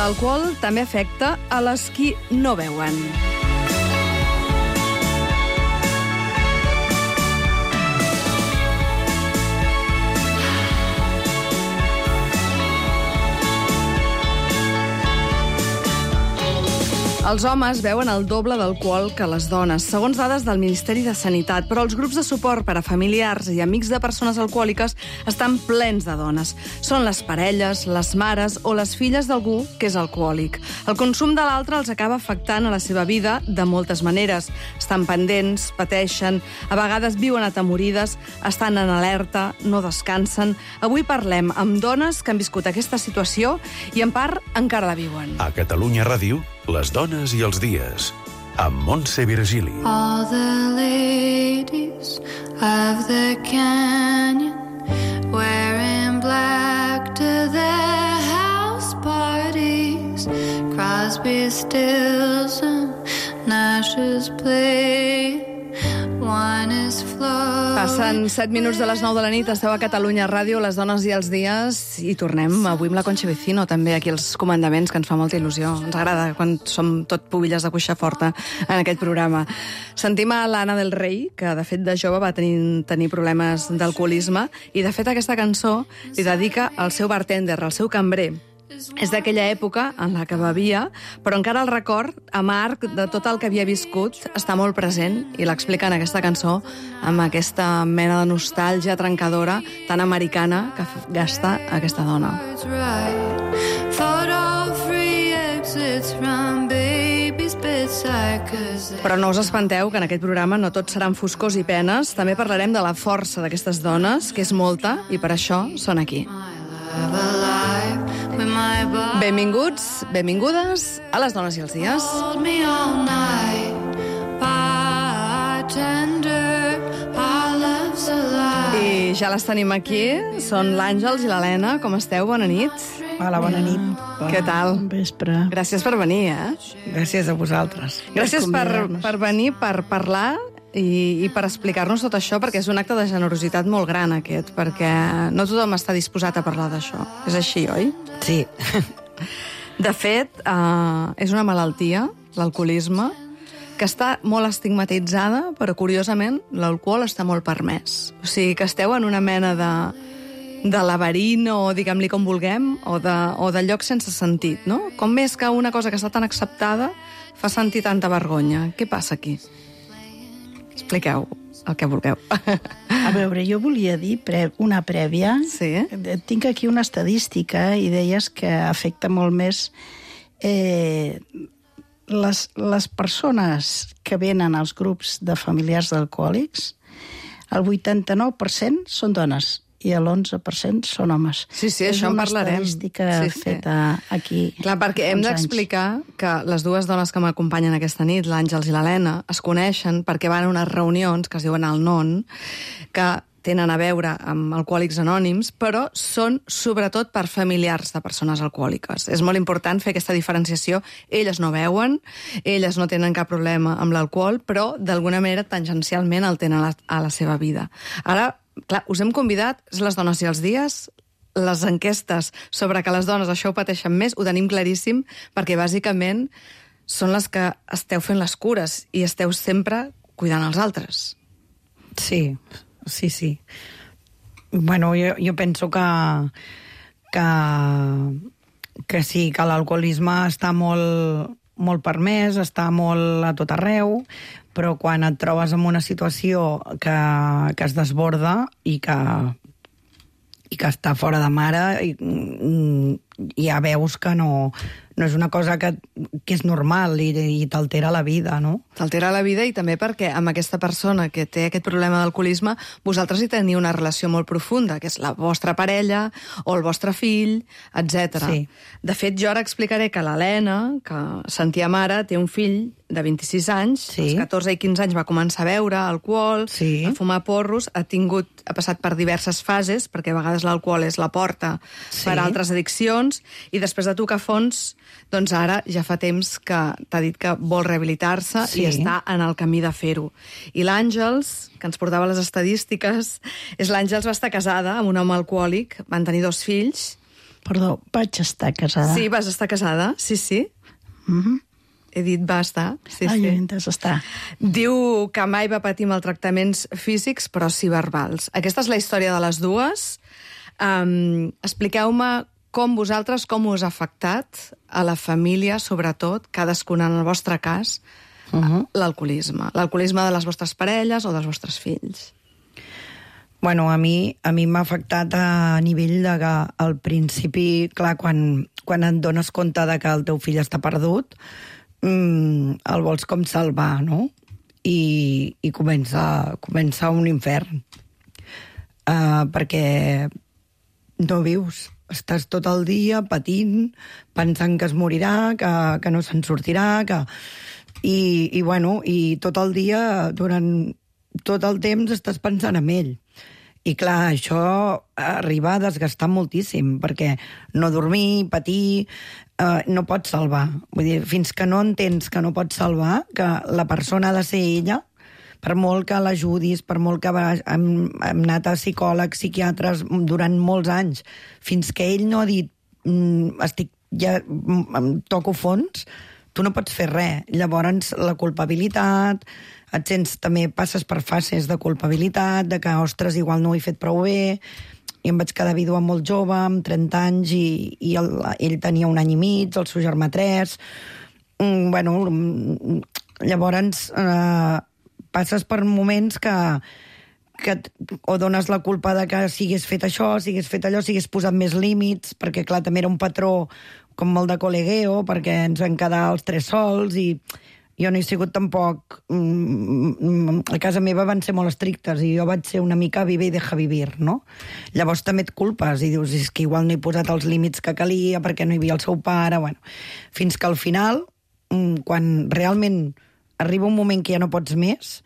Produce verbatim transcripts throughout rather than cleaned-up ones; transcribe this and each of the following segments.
L'alcohol també afecta a les qui no beuen. Els homes beuen el doble d'alcohol que les dones, segons dades del Ministeri de Sanitat, però els grups de suport per a familiars i amics de persones alcohòliques estan plens de dones. Són les parelles, les mares o les filles d'algú que és alcohòlic. El consum de l'altre els acaba afectant a la seva vida de moltes maneres. Estan pendents, pateixen, a vegades viuen atemorides, estan en alerta, no descansen. Avui parlem amb dones que han viscut aquesta situació i en part encara la viuen. A Catalunya Ràdio, les dones i els dies, amb Montse Virgili. All the ladies of the canyon wearing black to their house parties. Crosby, Stills and Nash's play. One is floating. Passen set minuts de les nou de la nit, esteu a Catalunya Ràdio, les dones i els dies, i tornem avui amb la Concha Vecino, també aquí als comandaments, que ens fa molta il·lusió. Ens agrada quan som tot pubilles de cuixa forta en aquest programa. Sentim a l'Anna del Rei, que de fet de jove va tenir, tenir problemes d'alcoholisme, i de fet aquesta cançó li dedica al seu bartender, al seu cambrer. És d'aquella època en la que bevia, però encara el record amarg de tot el que havia viscut està molt present i l'explica en aquesta cançó amb aquesta mena de nostàlgia trencadora tan americana que gasta aquesta dona. Però no us espanteu que en aquest programa no tot seran foscors i penes, també parlarem de la força d'aquestes dones, que és molta, i per això són aquí. Benvinguts, benvingudes a les dones i els dies. I ja les tenim aquí, són l'Àngels i l'Helena. Com esteu? Bona nit. Hola, bona nit. Què tal? Bon vespre. Gràcies per venir, eh? Gràcies a vosaltres. Gràcies per, per venir, per parlar i, i per explicar-nos tot això, perquè és un acte de generositat molt gran, aquest, perquè no tothom està disposat a parlar d'això. És així, oi? Sí. De fet, eh, és una malaltia, l'alcoholisme, que està molt estigmatitzada, però, curiosament, l'alcohol està molt permès. O sigui, que esteu en una mena de, de laberint, o diguem-li com vulguem, o de, o de lloc sense sentit, no? Com és que una cosa que està tan acceptada fa sentir tanta vergonya? Què passa aquí? Expliqueu el que vulgueu. A veure, jo volia dir pre una prèvia. Sí? Tinc aquí una estadística i deies que afecta molt més eh, les, les persones que venen als grups de familiars d'alcohòlics. El vuitanta-nou per cent són dones i l'onze per cent són homes. Sí, sí, això en parlarem. És una estadística sí, sí. feta aquí. Clar, perquè hem d'explicar que les dues dones que m'acompanyen aquesta nit, l'Àngels i l'Helena, es coneixen perquè van a unes reunions que es diuen el Non, que tenen a veure amb Alcohòlics Anònims, però són sobretot per familiars de persones alcohòliques. És molt important fer aquesta diferenciació. Elles no beuen, elles no tenen cap problema amb l'alcohol, però d'alguna manera tangencialment el tenen a la, a la seva vida. Ara, clar, us hem convidat, les dones i els dies, les enquestes sobre que les dones això ho pateixen més, ho tenim claríssim, perquè bàsicament són les que esteu fent les cures i esteu sempre cuidant els altres. Sí, sí, sí. Bueno, jo, jo penso que, que, que sí, que l'alcoholisme està molt, molt permès, està molt a tot arreu, però quan et trobes en una situació que, que es desborda i que, i que està fora de mare, i, i ja veus que no, no és una cosa que, que és normal i, i t'altera la vida, no? T'altera la vida, i també perquè amb aquesta persona que té aquest problema d'alcoholisme vosaltres hi teniu una relació molt profunda, que és la vostra parella o el vostre fill, etcètera. Sí. De fet, jo ara explicaré que l'Helena, que sentia mare, té un fill de vint-i-sis anys, sí. Als catorze i quinze anys va començar a beure alcohol, sí. a fumar porros, ha tingut, ha passat per diverses fases, perquè a vegades l'alcohol és la porta sí. per a altres addiccions, i després de tocar fons, doncs ara ja fa temps que t'ha dit que vol rehabilitar-se sí. i està en el camí de fer-ho. I l'Àngels, que ens portava les estadístiques, és l'Àngels va estar casada amb un home alcohòlic, van tenir dos fills, Perdó, vaig estar casada. Sí, vas estar casada, sí, sí. Mm-hmm. He dit va estar, sí, Ai, sí. he entès estar. Diu que mai va patir maltractaments físics, però sí verbals. Aquesta és la història de les dues. Um, expliqueu-me com vosaltres, com us ha afectat a la família, sobretot, cadascuna en el vostre cas, uh-huh. l'alcoholisme. L'alcoholisme de les vostres parelles o dels vostres fills. Bueno, a mi a mi m'ha afectat a nivell de que al principi, clar, quan, quan et dones compte de que el teu fill està perdut, mm, el vols com salvar, no? I, i comença, comença un infern. Uh, perquè no vius. Estàs tot el dia patint, pensant que es morirà, que, que no se'n sortirà, que... I, i, bueno, i tot el dia, durant tot el temps, estàs pensant en ell. I clar, això arriba a desgastar moltíssim, perquè no dormir, patir, eh, no pots salvar. Vull dir, fins que no entens que no pots salvar, que la persona ha de ser ella, per molt que l'ajudis, per molt que va, hem, hem anat a psicòlegs, psiquiatres durant molts anys, fins que ell no ha dit mm, estic, ja em toco fons, tu no pots fer res. Llavors, la culpabilitat, et sents, també passes per fases de culpabilitat, de que, ostres, igual no ho he fet prou bé, i em vaig quedar vídua molt jove, amb trenta anys, i, i el, ell tenia un any i mig, el seu germà tres. Mm, bueno, llavors eh, passes per moments que, que o dones la culpa de que siguis fet això, siguis fet allò, siguis posat més límits, perquè, clar, també era un patró com molt de col·legueo, perquè ens vam quedar els tres sols, i jo no he sigut tampoc... A casa meva van ser molt estrictes i jo vaig ser una mica vive i deja vivir, no? Llavors també et culpes i dius, és que igual no he posat els límits que calia perquè no hi havia el seu pare, bueno. Fins que al final, quan realment arriba un moment que ja no pots més,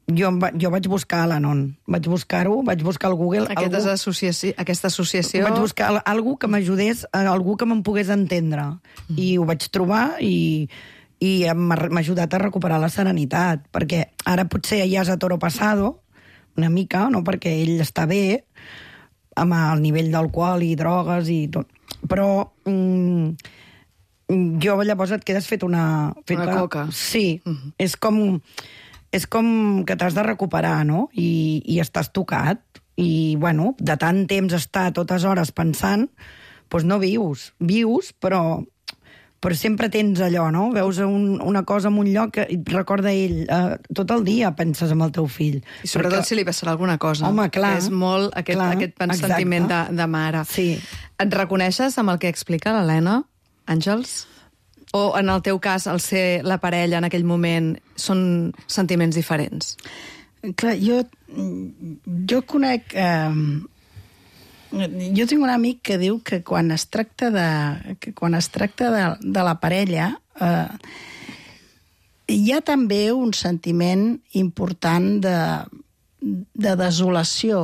jo, jo vaig buscar l'Anon. Vaig buscar-ho, vaig buscar al Google... Aquesta, algú, associació, aquesta associació... Vaig buscar algú que m'ajudés, algú que me'n pogués entendre. Mm. I ho vaig trobar i... i m'ha ajudat a recuperar la serenitat, perquè ara potser ja és a toro pasado, una mica, no? Perquè ell està bé, amb el nivell d'alcohol i drogues i tot, però mm, jo llavors et quedes fet una... Fet una coca. Sí, uh-huh. és com, és com que t'has de recuperar, no? I, i estàs tocat, i, bueno, de tant temps estar totes hores pensant, doncs no vius. Vius, però... però sempre tens allò, no? Veus un, una cosa en un lloc que et recorda ell. Uh, tot el dia penses en el teu fill. I sobretot perquè... si li passarà alguna cosa. Home, clar. És molt aquest, clar, aquest sentiment de, de mare. Sí. Et reconeixes amb el que explica l'Helena, Àngels? O en el teu cas, el ser la parella en aquell moment, són sentiments diferents? Clar, jo, jo conec... Eh, jo tinc un amic que diu que quan es tracta de, que quan es tracta de, de la parella eh, hi ha també un sentiment important de, de desolació,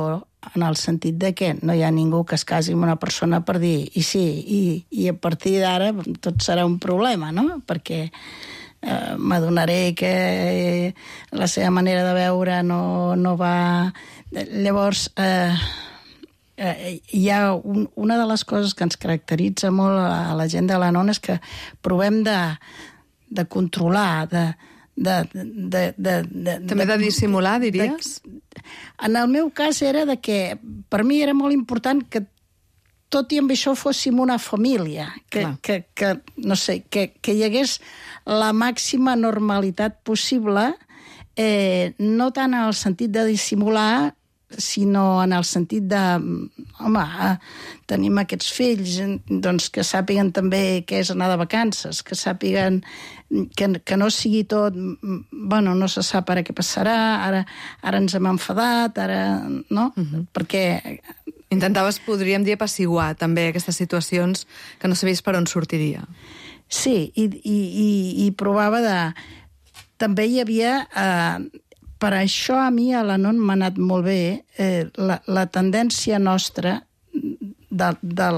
en el sentit de que no hi ha ningú que es casi amb una persona per dir i sí, i, i a partir d'ara tot serà un problema, no? Perquè eh, m'adonaré que la seva manera de veure no, no va... Llavors... Eh, Eh, hi ha un, una de les coses que ens caracteritza molt a la gent de l'Anon és que provem de, de controlar, de, de, de, de, de... També de dissimular, diries? De, en el meu cas era de que per mi era molt important que tot i amb això fóssim una família, que, que, que, no sé, que, que hi hagués la màxima normalitat possible, eh, no tant en el sentit de dissimular, sinó en el sentit de, home, tenim aquests fills, doncs que sàpiguen també què és anar de vacances, que sàpiguen que, que no sigui tot, bueno, no se sap ara què passarà, ara, ara ens hem enfadat, ara, no? Uh-huh. Perquè... Intentaves, podríem dir, apaciguar també aquestes situacions que no sabies per on sortiria. Sí, i, i, i, i provava de... També hi havia... Eh, per això a mi a l'Anon m'ha anat molt bé eh, la, la tendència nostra de, de,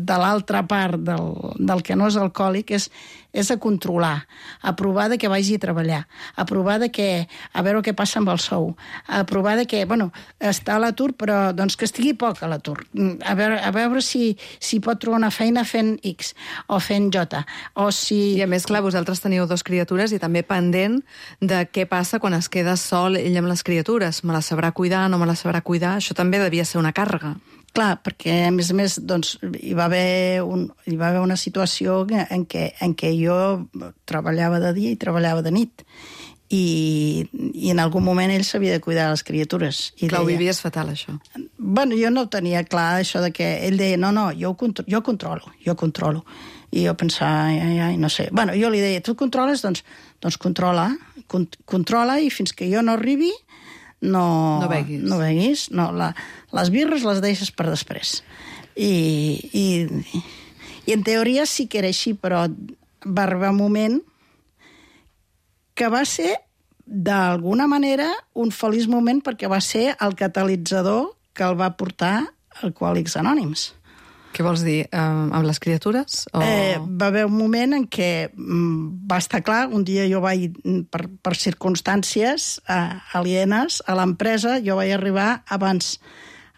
de l'altra part del, del que no és alcohòlic és, és a controlar, a provar de que vagi a treballar, a provar de que, a veure què passa amb el sou, a provar de que, bueno, està a l'atur, però doncs que estigui poc a l'atur, a veure, a veure si, si pot trobar una feina fent X o fent J, o si... I a més, clar, vosaltres teniu dos criatures i també pendent de què passa quan es queda sol ell amb les criatures. Me la sabrà cuidar, no me la sabrà cuidar? Això també devia ser una càrrega. Clar, perquè a més a més doncs, hi, va haver un, hi va haver una situació en què, en què jo treballava de dia i treballava de nit i, i en algun moment ell s'havia de cuidar les criatures. I clar, deia, ho vivies fatal, això. Bueno, jo no tenia clar això de que ell deia, no, no, jo, contro jo controlo, jo controlo. I jo pensava, ai, ai, no sé. Bueno, jo li deia, tu controles? Doncs, doncs controla, con controla i fins que jo no arribi no, no beguis. No beguis. No, la, les birres les deixes per després. I, i, I en teoria sí que era així, però va arribar un moment que va ser, d'alguna manera, un feliç moment perquè va ser el catalitzador que el va portar a Alcohòlics Anònims. Què vols dir? Uh, amb les criatures? O... Eh, va haver un moment en què mm, va estar clar, un dia jo vaig, per, per circumstàncies eh, alienes a l'empresa, jo vaig arribar abans,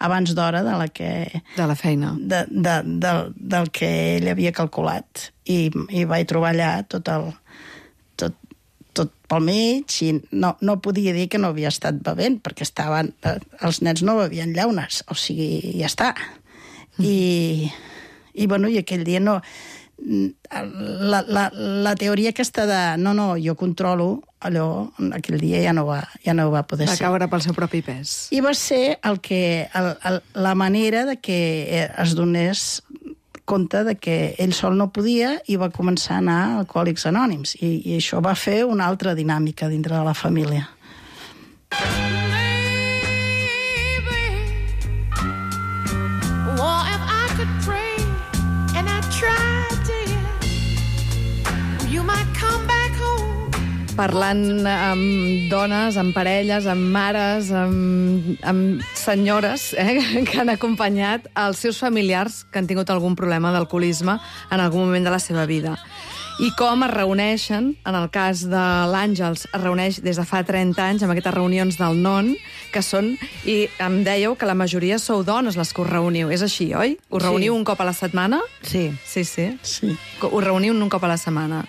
abans d'hora de la que... De la feina. De, de, de, del que ell havia calculat. I, i vaig trobar allà tot el... Tot, tot pel mig, i no, no podia dir que no havia estat bevent, perquè estaven, eh, els nens no bevien llaunes, o sigui, ja està. I, i, bueno, i aquell dia no... La, la, la teoria aquesta de no, no, jo controlo, allò, aquell dia ja no va, ja no va poder va ser. Va caure pel seu propi pes. I va ser el que, el, el, la manera de que es donés compte de que ell sol no podia i va començar a anar a Alcohòlics Anònims. I, i això va fer una altra dinàmica dintre de la família. Parlant amb dones, amb parelles, amb mares, amb, amb senyores eh, que han acompanyat els seus familiars que han tingut algun problema d'alcoholisme en algun moment de la seva vida. I com es reuneixen, en el cas de l'Àngels, es reuneix des de fa trenta anys amb aquestes reunions del N O N, que són, i em dèieu que la majoria sou dones les que us reuniu. És així, oi? Us reuniu sí. un cop a la setmana? Sí. Sí, sí. Sí. Us reuniu un cop a la setmana?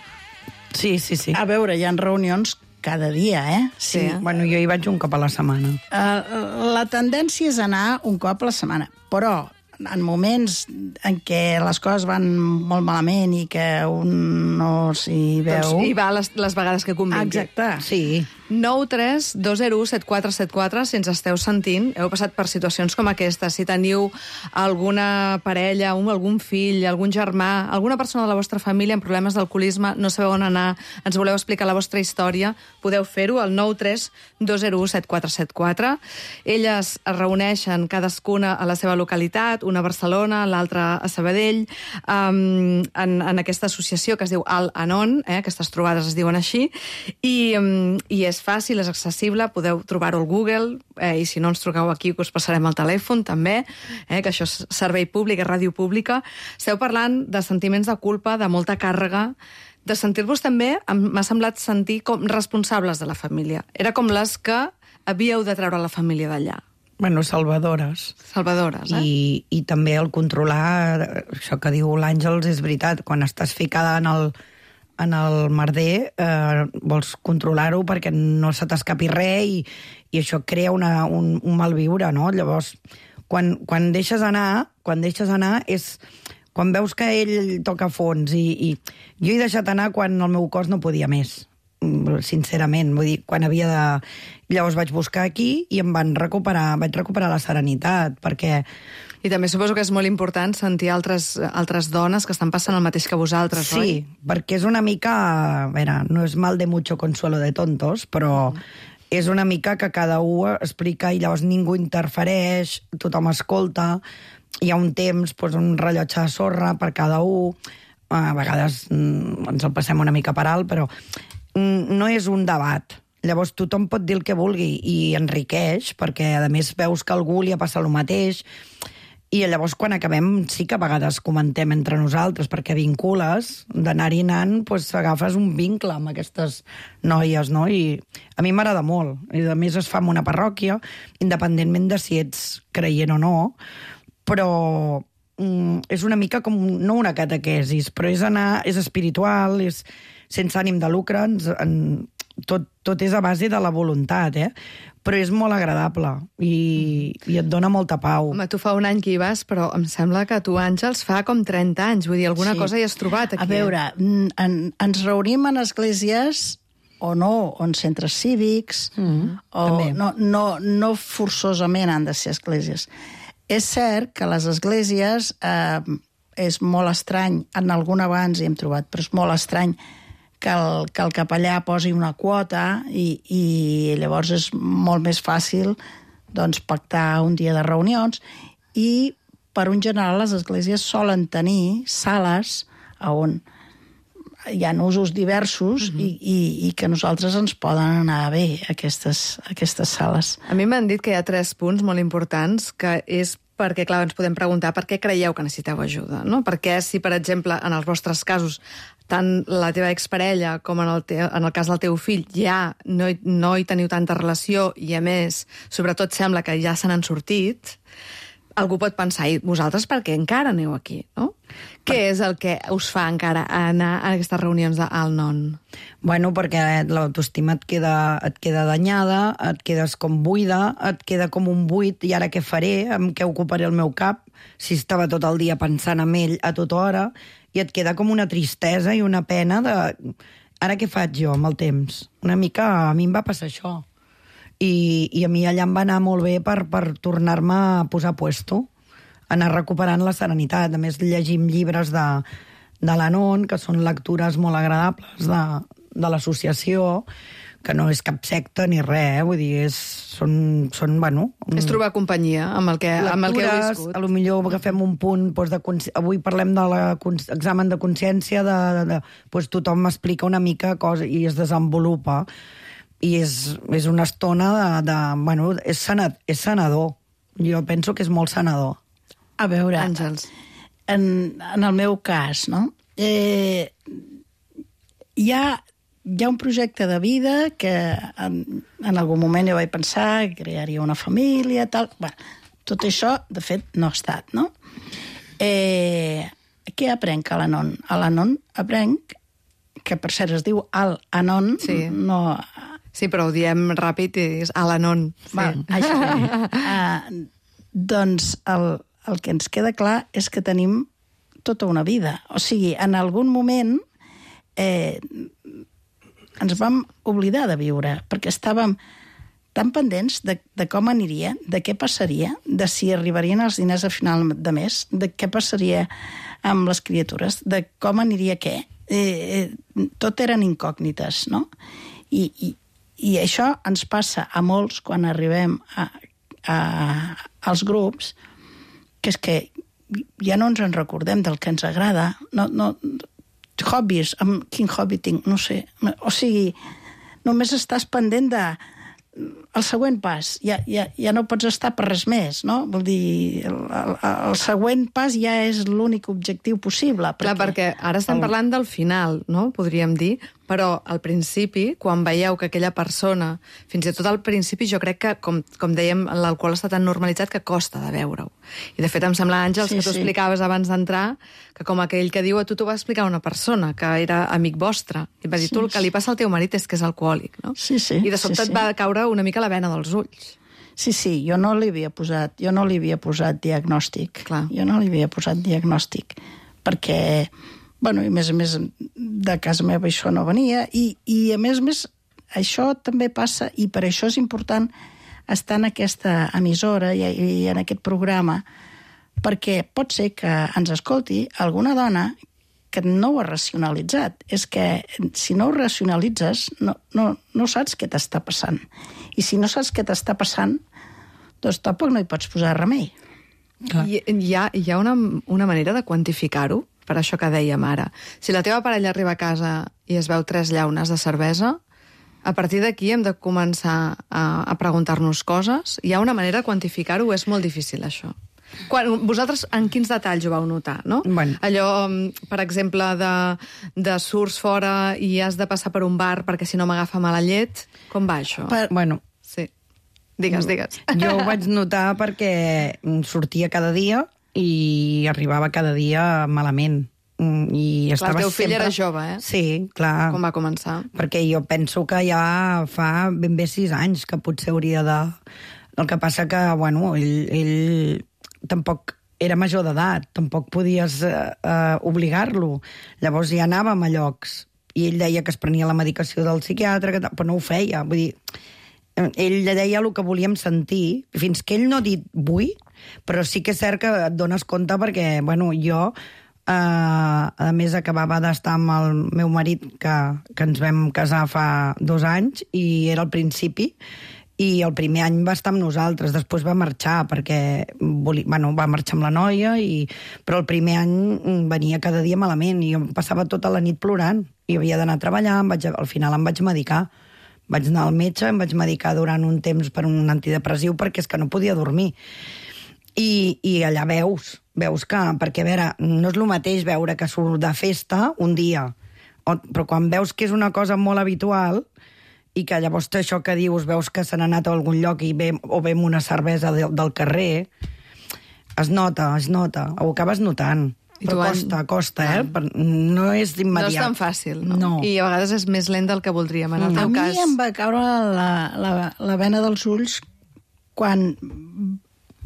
Sí, sí, sí. A veure, hi ha reunions cada dia, eh? Sí. sí. Bueno, jo hi vaig un cop a la setmana. Uh, la tendència és anar un cop a la setmana, però en moments en què les coses van molt malament i que un no s'hi veu... Doncs hi va les, les vegades que convingui. Exacte. Sí. nou tres dos zero u set quatre set quatre, si ens esteu sentint, heu passat per situacions com aquesta. Si teniu alguna parella, un, algun fill, algun germà, alguna persona de la vostra família amb problemes d'alcoholisme, no sabeu on anar, ens voleu explicar la vostra història, podeu fer-ho al nou tres dos zero u set quatre set quatre. Elles es reuneixen cadascuna a la seva localitat, una a Barcelona, l'altra a Sabadell, um, en, en aquesta associació que es diu Al-Anon, eh, aquestes trobades es diuen així, i, um, i és fàcil, és accessible, podeu trobar-ho al Google, eh, i si no ens truqueu aquí que us passarem el telèfon també, eh, que això és servei públic, és ràdio pública. Esteu parlant de sentiments de culpa, de molta càrrega, de sentir-vos també, m'ha semblat sentir com responsables de la família. Era com les que havíeu de treure la família d'allà. Bueno, salvadores. Salvadores, eh? I, i també el controlar, això que diu l'Àngels és veritat, quan estàs ficada en el, en el merder, eh, vols controlar-ho perquè no se t'escapi res i, i això crea una, un, un malviure, no? Llavors, quan, quan deixes anar, quan deixes anar és quan veus que ell toca fons i, i jo he deixat anar quan el meu cos no podia més, sincerament, vull dir, quan havia de... Llavors vaig buscar aquí i em van recuperar, vaig recuperar la serenitat, perquè... I també suposo que és molt important sentir altres, altres dones que estan passant el mateix que vosaltres, sí, oi? Sí, perquè és una mica... A veure, no és mal de mucho consuelo de tontos, però és una mica que cada un explica i llavors ningú interfereix, tothom escolta, hi ha un temps, doncs, un rellotge de sorra per cada un, a vegades mm, ens el passem una mica per alt, però mm, no és un debat. Llavors tothom pot dir el que vulgui i enriqueix, perquè a més veus que a algú li ha passat el mateix I llavors, quan acabem, sí que a vegades comentem entre nosaltres, perquè vincules, d'anar-hi anant, doncs agafes un vincle amb aquestes noies, no? I a mi m'agrada molt. I a més es fa en una parròquia, independentment de si ets creient o no, però mm, és una mica com, no una catequesis, però és anar, és espiritual, és sense ànim de lucre, ens, en, tot, tot és a base de la voluntat, eh? Però és molt agradable i, i et dona molta pau. Home, tu fa un any que hi vas, però em sembla que tu, Àngels, fa com trenta anys. Vull dir, alguna sí. cosa hi has trobat aquí. A veure, en, ens reunim en esglésies o no, o en centres cívics, mm, o no, no, no forçosament han de ser esglésies. És cert que les esglésies eh, és molt estrany, en algun abans hi hem trobat, però és molt estrany que el, que el capellà posi una quota i, i llavors és molt més fàcil doncs, pactar un dia de reunions i, per un general, les esglésies solen tenir sales on hi ha usos diversos mm-hmm. i, i, i que a nosaltres ens poden anar bé aquestes, aquestes sales. A mi m'han dit que hi ha tres punts molt importants, que és perquè, clar, ens podem preguntar per què creieu que necessiteu ajuda, no? Perquè si, per exemple, en els vostres casos, tant la teva exparella com en el, te en el cas del teu fill ja no hi, no hi teniu tanta relació i, a més, sobretot sembla que ja se n'han sortit, algú pot pensar, i vosaltres per què encara aneu aquí, no? Què és el que us fa encara anar a aquestes reunions d'Al-Non? Bueno, perquè l'autoestima et queda, et queda danyada, et quedes com buida, et queda com un buit, i ara què faré? Amb què ocuparé el meu cap? Si estava tot el dia pensant en ell a tota hora, i et queda com una tristesa i una pena de... Ara què faig jo amb el temps? Una mica a mi em va passar això. I, i a mi allà em va anar molt bé per, per tornar-me a posar puesto, anar recuperant la serenitat. A més, llegim llibres de, de l'Anon, que són lectures molt agradables de, de l'associació, que no és cap secta ni res, eh? Vull dir, és, són, són, bueno... És trobar companyia amb el que, lectures, amb el que heu viscut. A lo millor agafem un punt, doncs, de, avui parlem de l'examen de consciència, de, de, de, doncs tothom m'explica una mica cosa i es desenvolupa. I és, és una estona de... de bueno, és, sanad, és sanador. Jo penso que és molt sanador. A veure, Àngels, en, en el meu cas, no? Eh, hi ha... Hi ha un projecte de vida que en, en algun moment jo vaig pensar que crearia una família, tal... Bueno, tot això, de fet, no ha estat, no? Eh, què aprenc a l'Anon? A l'Anon aprenc, que per cert es diu Al-Anon, sí. no... Sí, però ho diem ràpid i és Al-Anon. Sí. Va, això. uh, doncs el, el que ens queda clar és que tenim tota una vida. O sigui, en algun moment... Eh, ens vam oblidar de viure, perquè estàvem tan pendents de, de com aniria, de què passaria, de si arribarien els diners a final de mes, de què passaria amb les criatures, de com aniria què. Eh, eh, tot eren incògnites, no? I, i, i això ens passa a molts quan arribem a, a, als grups, que és que ja no ens en recordem del que ens agrada, no... no hobbies, amb quin hobby tinc, no sé. O sigui, només estàs pendent de el següent pas. Ja, ja, ja no pots estar per res més, no? Vol dir, el, el, el següent pas ja és l'únic objectiu possible. Perquè... Clar, perquè ara estem el... parlant del final, no? Podríem dir, però al principi, quan veieu que aquella persona, fins i tot al principi, jo crec que, com, com dèiem, l'alcohol està tan normalitzat que costa de veure-ho. I de fet em sembla, Àngels, sí, que tu sí. explicaves abans d'entrar, que com aquell que diu, a tu t'ho va explicar una persona, que era amic vostre, i va dir, sí, tu el que li passa al teu marit és que és alcohòlic, no? Sí, sí. I de sobte sí, sí. et va caure una mica la vena dels ulls. Sí, sí, jo no li havia posat, jo no li havia posat diagnòstic. Clar. Jo no li havia posat diagnòstic, perquè... Bueno, i a més a més, de casa meva això no venia, i, i a més a més, això també passa, i per això és important estar en aquesta emissora i, i en aquest programa, perquè pot ser que ens escolti alguna dona que no ho ha racionalitzat. És que si no ho racionalitzes, no, no, no saps què t'està passant. I si no saps què t'està passant, doncs tampoc no hi pots posar remei. Clar. Hi, hi ha, hi ha una, una manera de quantificar-ho? Per això que dèiem ara. Si la teva parella arriba a casa i es veu tres llaunes de cervesa, a partir d'aquí hem de començar a, a preguntar-nos coses. Hi ha una manera de quantificar-ho, és molt difícil, això. Quan, vosaltres en quins detalls ho vau notar, no? Bueno. Allò, per exemple, de, de surts fora i has de passar per un bar perquè si no m'agafa mala llet. Com va això? Per... Bueno, Sí. Digues, digues. jo ho vaig notar perquè sortia cada dia i arribava cada dia malament. I Clar, estava el teu fill sempre... era jove, eh? Sí, clar. Com va començar? Perquè jo penso que ja fa ben bé sis anys que potser hauria de... El que passa que, bueno, ell, ell tampoc era major d'edat, tampoc podies eh, eh, obligar-lo. Llavors ja anàvem a llocs i ell deia que es prenia la medicació del psiquiatre, que, però no ho feia. Vull dir, ell deia el que volíem sentir, fins que ell no ha dit vull, però sí que és cert que et dones compte perquè, bueno, jo... Uh, a més, acabava d'estar amb el meu marit, que, que ens vam casar fa dos anys, i era al principi, i el primer any va estar amb nosaltres, després va marxar, perquè volia, bueno, va marxar amb la noia, i, però el primer any venia cada dia malament, i jo passava tota la nit plorant, i havia d'anar a treballar, em vaig, al final em vaig medicar. Vaig anar al metge, em vaig medicar durant un temps per un antidepressiu, perquè és que no podia dormir. I, i allà veus, veus que... Perquè, a veure, no és el mateix veure que surt de festa un dia, o, però quan veus que és una cosa molt habitual i que llavors això que dius, veus que se n'ha anat a algun lloc i ve, o ve amb una cervesa de, del carrer, es nota, es nota, ho acabes notant. I Però han... costa, costa, eh? Per, no és immediat. No és tan fàcil, no? No. I a vegades és més lent del que voldríem. En el A teu mi cas... em va caure la, la, la vena dels ulls quan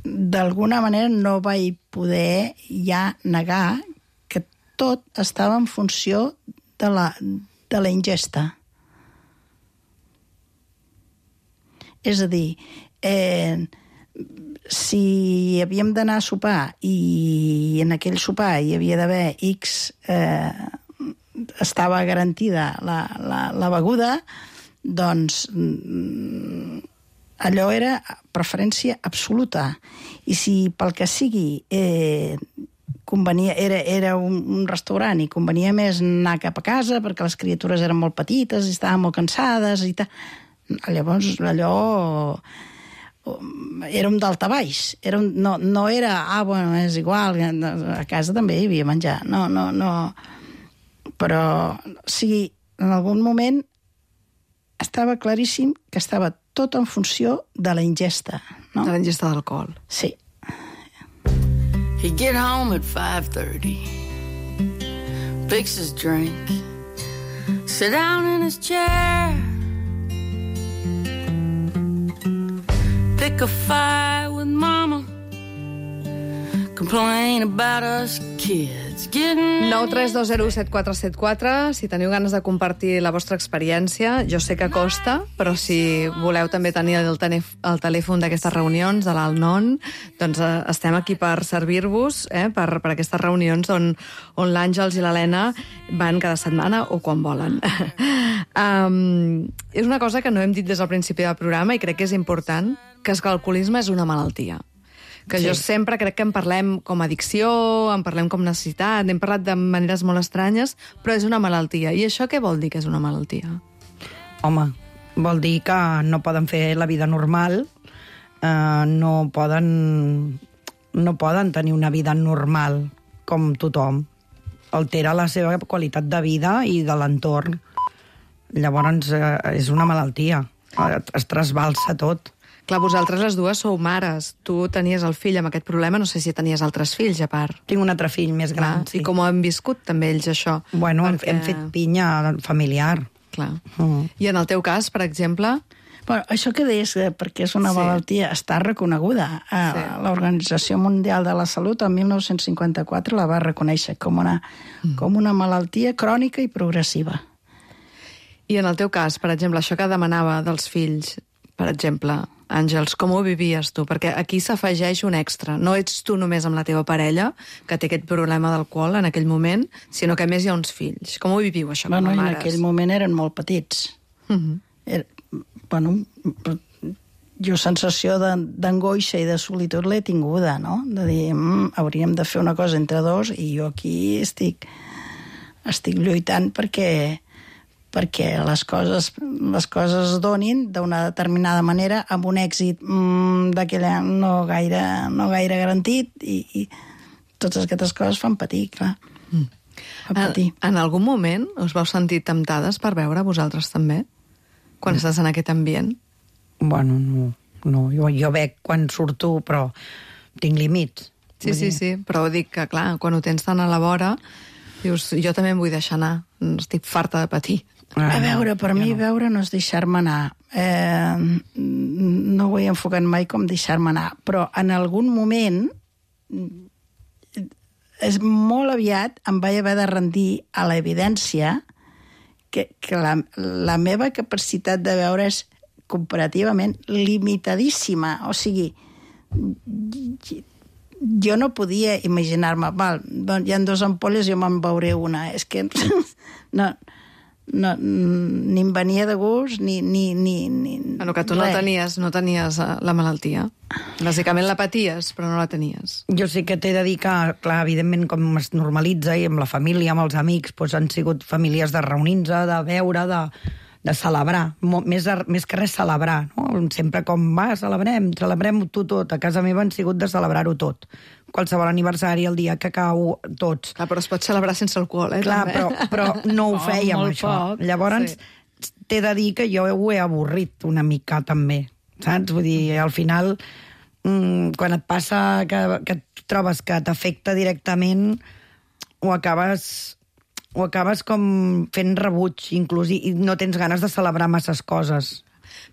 d'alguna manera no vaig poder ja negar que tot estava en funció de la, de la ingesta. És a dir, eh, si havíem d'anar a sopar i en aquell sopar hi havia d'haver X, eh, estava garantida la, la, la beguda, doncs allò era preferència absoluta. I si pel que sigui eh, convenia, era, era un, un restaurant i convenia més anar cap a casa perquè les criatures eren molt petites i estaven molt cansades i tal, llavors allò era un daltabaix. Era un, no, no era, ah, bueno, és igual, a casa també hi havia menjar. No, no, no. Però sí, en algun moment estava claríssim que estava tot en funció de la ingesta, no? De la ingesta d'alcohol. Sí. He'd get home at five thirty, fix his drink, sit down in his chair, pick a fight with mama, complain about us kids getting... nou tres dos zero set quatre set quatre, si teniu ganes de compartir la vostra experiència, jo sé que costa, però si voleu també tenir el, el telèfon d'aquestes reunions, de l'Alnon, doncs eh, estem aquí per servir-vos, eh, per, per aquestes reunions on, on l'Àngels i l'Helena van cada setmana o quan volen. um, és una cosa que no hem dit des del principi del programa i crec que és important, que és que l'alcoholisme és una malaltia. Que sí. Jo sempre crec que en parlem com addicció, en parlem com necessitat, n'hem parlat de maneres molt estranyes, però és una malaltia. I això què vol dir que és una malaltia? Home, vol dir que no poden fer la vida normal, eh, no poden, no poden tenir una vida normal com tothom. Altera la seva qualitat de vida i de l'entorn. Llavors eh, és una malaltia, es trasbalsa tot. Clar, vosaltres les dues sou mares. Tu tenies el fill amb aquest problema, no sé si tenies altres fills, a part. Tinc un altre fill més gran, Clar, sí. I com ho han viscut també ells, això? Bueno, Perquè... hem fet pinya familiar. Clar. Mm. I en el teu cas, per exemple... Bueno, això que deies, perquè és una Sí. malaltia, està reconeguda. Sí. L'Organització Mundial de la Salut, el mil nou-cents cinquanta-quatre, la va reconèixer com una, mm. com una malaltia crònica i progressiva. I en el teu cas, per exemple, això que demanava dels fills, per exemple... Àngels, com ho vivies tu? Perquè aquí s'afegeix un extra. No ets tu només amb la teva parella, que té aquest problema d'alcohol en aquell moment, sinó que a més hi ha uns fills. Com ho viviu, això, bueno, com a en mares? aquell moment eren molt petits. Uh-huh. Era, bueno, jo sensació d'angoixa i de solitud l'he tinguda, no? De dir, mm, hauríem de fer una cosa entre dos i jo aquí estic, estic lluitant perquè perquè les coses, les coses es donin d'una determinada manera amb un èxit mmm, d'aquella no gaire, no gaire garantit i, i totes aquestes coses fan patir, clar. Mm. Fan patir. En, en algun moment us vau sentir temptades per veure vosaltres també? Quan mm. estàs en aquest ambient? Bueno, no. no. Jo, jo veig quan surto, però tinc límits. Sí, sí, sí, però dic que, clar, quan ho tens tan a la vora, dius, jo també em vull deixar anar, estic farta de patir. A veure, per mi no. veure no és deixar-me anar. Eh, no ho he enfocat mai com deixar-me anar, però en algun moment, és molt aviat, em vaig haver de rendir a l'evidència que, que la, la meva capacitat de veure és comparativament limitadíssima. O sigui, jo no podia imaginar-me, val, hi ha dues ampolles, jo me'n veuré una. És que no, no, ni em venia de gust, ni... ni, ni, ni bueno, que tu no tenies, no tenies la malaltia. Bàsicament la paties, però no la tenies. Jo sí que t'he de dir que, clar, evidentment, com es normalitza, i amb la família, amb els amics, doncs han sigut famílies de reunir-se, de veure, de... de celebrar, més, més que res celebrar, no? Sempre com, va, celebrem, celebrem tu tot. A casa meva han sigut de celebrar-ho tot. Qualsevol aniversari, el dia que cau, tots. Clar, però es pot celebrar sense alcohol, eh? Clar, també. però, però no ho fèiem, oh, això. Poc. Llavors, sí. T'he de dir que jo ho he avorrit una mica, també. Saps? Vull dir, al final, mmm, quan et passa que, que trobes que t'afecta directament, ho acabes... o acabes com fent rebuig, inclús, i no tens ganes de celebrar masses coses.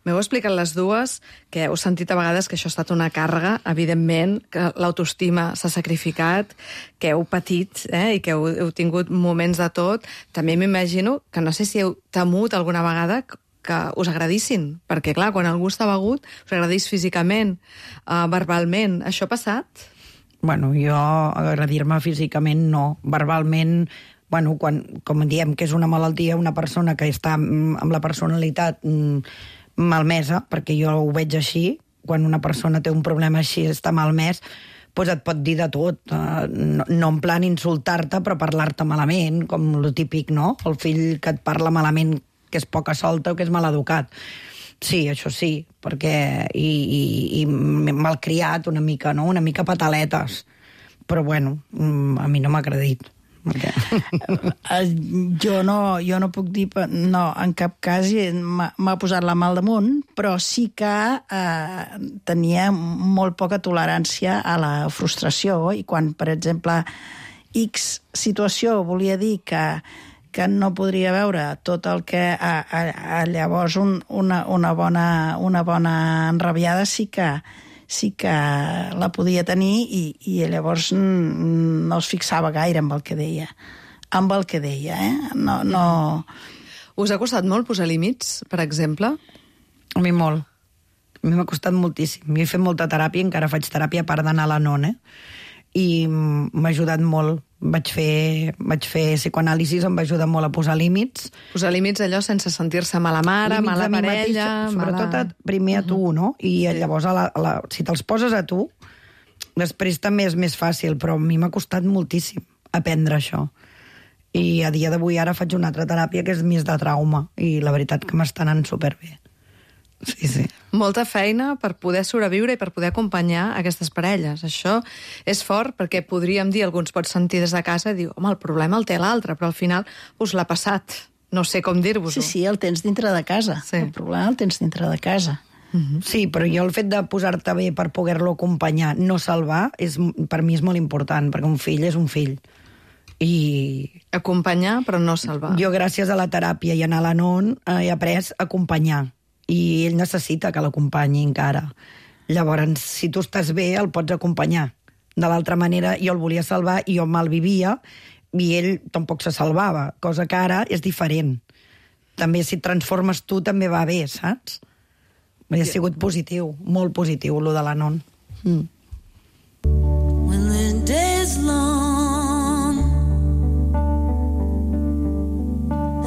M'heu explicat les dues, que heu sentit a vegades que això ha estat una càrrega, evidentment, que l'autoestima s'ha sacrificat, que heu patit, eh, i que heu, heu tingut moments de tot. També m'imagino que no sé si heu temut alguna vegada que us agradissin, perquè, clar, quan algú està begut, us agradís físicament, uh, verbalment. Això ha passat? Bueno, jo agradir-me físicament no. Verbalment... Bueno, quan, com diem que és una malaltia, una persona que està amb la personalitat malmesa, perquè jo ho veig així, quan una persona té un problema així, està malmès, doncs et pot dir de tot. No, no en plan insultar-te, però parlar-te malament, com lo típic, no? El fill que et parla malament, que és poca solta o que és maleducat. Sí, això sí, perquè... I, i, i malcriat una mica, no? Una mica pataletes. Però, bueno, a mi no m'ha agradit. Okay. jo, no, jo no puc dir... No, en cap cas m'ha posat la mà al damunt, però sí que eh, tenia molt poca tolerància a la frustració, i quan, per exemple, X situació volia dir que, que no podria veure tot el que a, a, a llavors un, una, una, bona, una bona enrabiada sí que sí que la podia tenir, i, i llavors no es fixava gaire amb el que deia. Amb el que deia, eh? No, no... Us ha costat molt posar límits, per exemple? A mi molt. A mi m'ha costat moltíssim. Jo he fet molta teràpia, encara faig teràpia a part d'anar a la N O N, eh? I m'ha ajudat molt. Vaig fer, vaig fer psicoanàlisis, em va ajudar molt a posar límits. Posar límits allò sense sentir-se mala mare, límits mala parella... Mateix, sobretot mala... primer a tu, no? I llavors, a la, a la, si te'ls poses a tu, després també és més fàcil, però a mi m'ha costat moltíssim aprendre això. I a dia d'avui ara faig una altra teràpia que és més de trauma, i la veritat que m'està anant superbé. Sí, sí. Molta feina per poder sobreviure i per poder acompanyar aquestes parelles. Això és fort, perquè podríem dir, alguns pot sentir des de casa i dir, home, el problema el té l'altre, però al final us l'ha passat. No sé com dir-vos-ho. Sí, sí, el tens dintre de casa. Sí. El problema el tens dintre de casa. Uh-huh. Sí, però jo el fet de posar-te bé per poder-lo acompanyar, no salvar, és, per mi és molt important, perquè un fill és un fill. I... Acompanyar, però no salvar. Jo, gràcies a la teràpia i anar a la N O N, he après a acompanyar. I ell necessita que l'acompanyi encara. Llavors, si tu estàs bé, el pots acompanyar. De l'altra manera, jo el volia salvar i jo me'l vivia, i ell tampoc se salvava, cosa que ara és diferent. També si et transformes tu també va bé, saps? Ha sigut positiu, molt positiu, lo de la N O N. Mm. When the day is long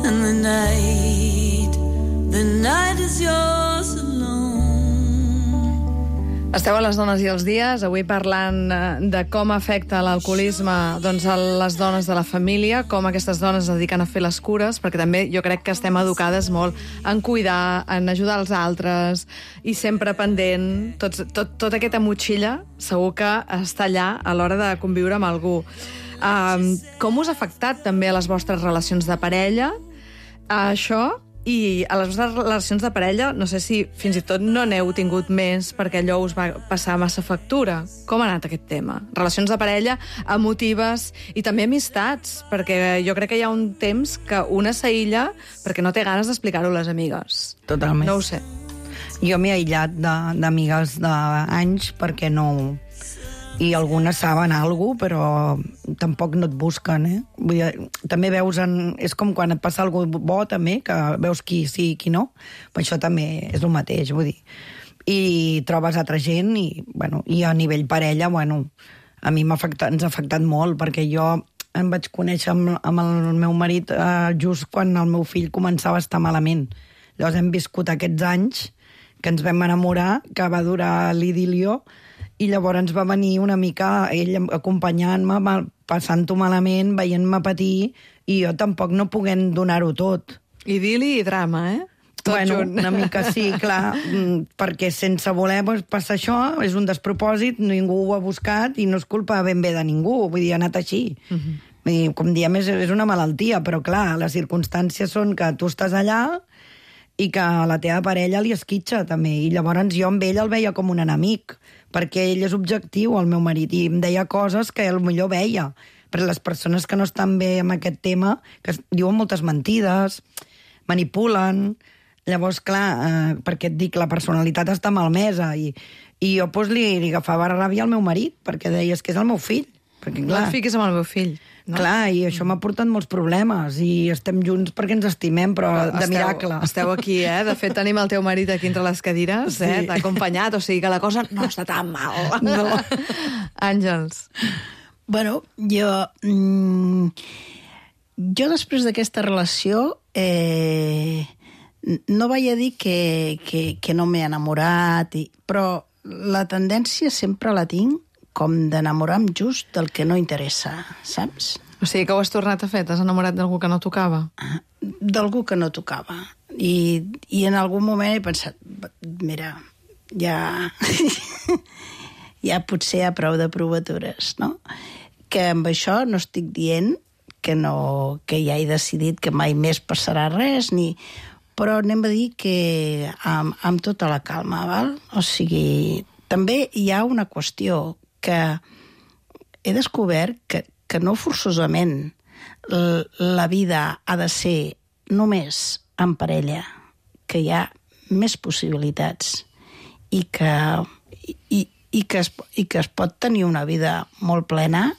and the night, the night is yours alone. Esteu a les dones i els dies, avui parlant eh, de com afecta l'alcoholisme doncs, a les dones de la família, com aquestes dones es dediquen a fer les cures, perquè també jo crec que estem educades molt en cuidar, en ajudar els altres, i sempre pendent. Tot, tot, tota aquesta motxilla segur que està allà a l'hora de conviure amb algú. Um, com us ha afectat també a les vostres relacions de parella a això? I a les vostres relacions de parella, no sé si fins i tot no n'heu tingut més perquè allò us va passar massa factura. Com ha anat aquest tema? Relacions de parella emotives i també amistats, perquè jo crec que hi ha un temps que una s'aïlla perquè no té ganes d'explicar-ho a les amigues. Totalment. No ho sé. Jo m'he aïllat de- d'amigues d'anys perquè no... I algunes saben alguna cosa, però tampoc no et busquen, eh? Vull dir, també veus en... És com quan et passa alguna cosa bo, també, que veus qui sí i qui no. Però això també és el mateix, vull dir. I trobes altra gent i, bueno, i a nivell parella, bueno, a mi m'ha afectat, ens ha afectat molt, perquè jo em vaig conèixer amb, amb el meu marit eh, just quan el meu fill començava a estar malament. Llavors hem viscut aquests anys que ens vam enamorar, que va durar l'idilio, i llavors va venir una mica ell acompanyant-me, passant-ho malament, veient-me patir, i jo tampoc no poguent donar-ho tot. Idili i drama, eh? Tot bueno, junt. una mica sí, clar, perquè sense voler passar això, és un despropòsit, ningú ho ha buscat i no és culpa ben bé de ningú, vull dir, ha anat així. Uh -huh. Vull dir, com diem, és, és una malaltia, però clar, les circumstàncies són que tu estàs allà i que la teva parella li esquitxa, també, i llavors jo amb ell el veia com un enemic, perquè ell és objectiu, el meu marit, i em deia coses que ell millor veia. Però les persones que no estan bé amb aquest tema, que diuen moltes mentides, manipulen... Llavors, clar, eh, perquè et dic, la personalitat està malmesa, i, i jo pues, li, li agafava ràbia al meu marit, perquè deies que és el meu fill. Perquè, No clar, et fiquis amb el meu fill. No? clar, i això m'ha portat molts problemes, i estem junts perquè ens estimem, però de esteu, miracle. Esteu aquí, eh? De fet, tenim el teu marit aquí entre les cadires, eh? Sí. T'ha acompanyat, o sigui que la cosa no està tan mal. No. Àngels. Bueno, jo... Mm, jo després d'aquesta relació eh, no vaig a dir que, que, que no m'he enamorat, i, però la tendència sempre la tinc com d'enamorar-me just del que no interessa, saps? O sigui que ho has tornat a fer? T'has enamorat d'algú que no tocava? D'algú que no tocava. I, i en algun moment he pensat, mira, ja... ja potser hi ha prou de provatures, no? Que amb això no estic dient que, no, que ja he decidit que mai més passarà res, ni... però anem a dir que amb, amb tota la calma, val? O sigui, també hi ha una qüestió que he descobert que, que no forçosament la vida ha de ser només en parella, que hi ha més possibilitats i que, i, i que, es, i que es pot tenir una vida molt plena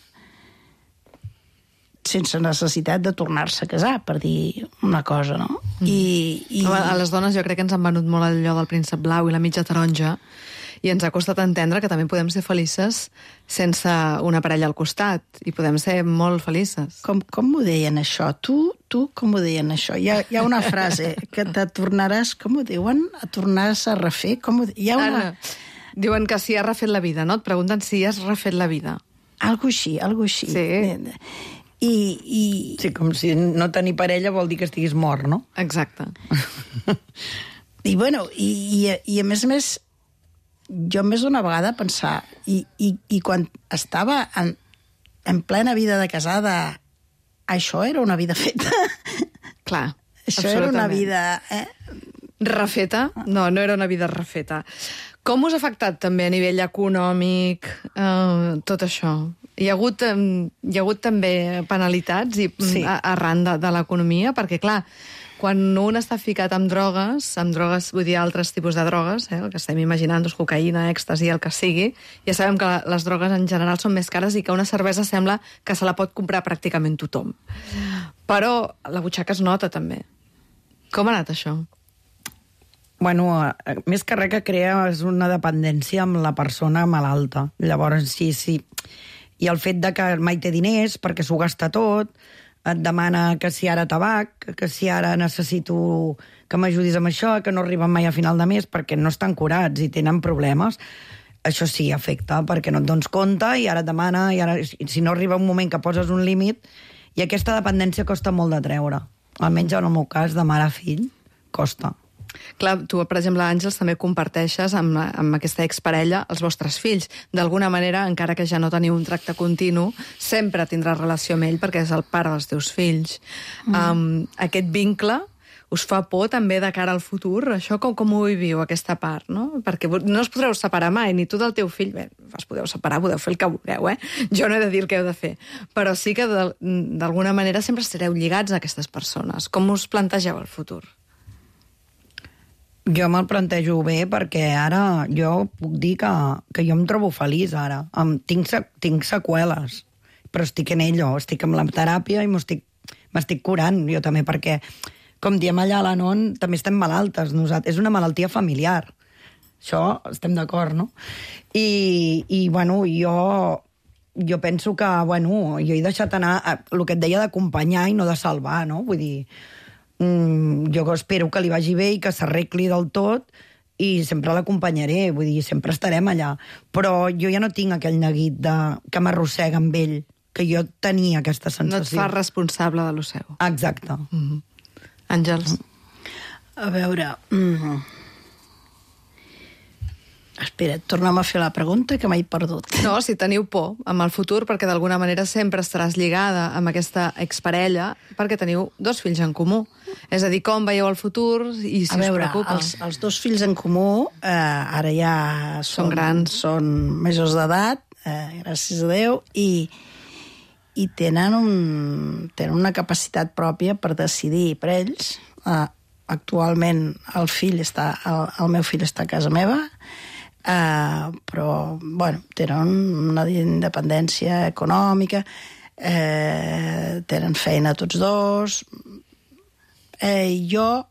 sense necessitat de tornar-se a casar, per dir una cosa, no? Mm. I, i... A les dones jo crec que ens han venut molt allò del príncep blau i la mitja taronja, i ens ha costat entendre que també podem ser felices sense una parella al costat, i podem ser molt felices. Com, com m'ho deien això? Tu, tu com ho deien això? Hi ha, hi ha una frase que te tornaràs, com ho diuen? A tornaràs a refer? Com ho, hi ha una... Ara, diuen que si has refet la vida, no? Et pregunten si has refet la vida. Algo així, algo així. Sí. I, i... Sí, com si no tenir parella vol dir que estiguis mort, no? Exacte. I, bueno, i, i, i a més a més, jo més d'una vegada pensar, i, i, i quan estava en, en plena vida de casada, això era una vida feta. Clar, Això era una vida... Eh? Refeta? No, no era una vida refeta. Com us ha afectat també a nivell econòmic eh, tot això? Hi ha hagut, eh, hi ha hagut també penalitats i, Sí. a, arran de, de l'economia? Perquè, clar, quan un està ficat amb drogues, amb drogues, vull dir, altres tipus de drogues, eh, el que estem imaginant, doncs, cocaïna, èxtasi, el que sigui, ja sabem que les drogues en general són més cares i que una cervesa sembla que se la pot comprar pràcticament tothom. Però la butxaca es nota, també. Com ha anat això? Bueno, eh, més que res que crea és una dependència amb la persona malalta. Llavors, sí, sí. I el fet de que mai té diners perquè s'ho gasta tot, et demana que si ara tabac, que si ara necessito que m'ajudis amb això, que no arriben mai a final de mes perquè no estan curats i tenen problemes. això sí, afecta, perquè no et dones compte i ara et demana, i ara, si no arriba un moment que poses un límit, i aquesta dependència costa molt de treure. Almenys en el meu cas, de mare a fill, costa. Clar, tu, per exemple, Àngels, també comparteixes amb, amb aquesta exparella els vostres fills. D'alguna manera, encara que ja no teniu un tracte continu, sempre tindràs relació amb ell perquè és el pare dels teus fills. Mm. Um, aquest vincle us fa por també de cara al futur? Això com, com ho viviu, aquesta part, no? Perquè no us podreu separar mai, ni tu del teu fill. Bé, us podeu separar, podeu fer el que vulgueu, eh? Jo no he de dir el que heu de fer. Però sí que d'alguna manera sempre estareu lligats a aquestes persones. Com us plantegeu el futur? Jo me'l plantejo bé perquè ara jo puc dir que, que jo em trobo feliç ara. Em, tinc, tinc seqüeles, però estic en ello, estic amb la teràpia i m'estic curant jo també, perquè, com diem allà a la N O N, també estem malaltes. Nosaltres, és una malaltia familiar. Això estem d'acord, no? I, i bueno, jo, jo penso que, bueno, jo he deixat anar a, el que et deia d'acompanyar i no de salvar, no? Vull dir, Mm, jo espero que li vagi bé i que s'arregli del tot i sempre l'acompanyaré, vull dir, sempre estarem allà. Però jo ja no tinc aquell neguit de, que m'arrossega amb ell, que jo tenia aquesta sensació. No et fa responsable de lo seu. Exacte. Mm-hmm. Àngels? A veure... Mm. Espera, torna'm a fer la pregunta, que m'he perdut. No, si teniu por amb el futur, perquè d'alguna manera sempre estaràs lligada amb aquesta exparella, perquè teniu dos fills en comú. És a dir, com veieu el futur i si a veure, us preocupa. Els, els dos fills en comú eh, ara ja són, són grans. Són majors d'edat, eh, gràcies a Déu, i, i tenen, un, tenen una capacitat pròpia per decidir per ells. Eh, actualment el, fill està, el, el meu fill està a casa meva, Uh, però, bueno, tenen una independència econòmica, eh, tenen feina tots dos. Eh, jo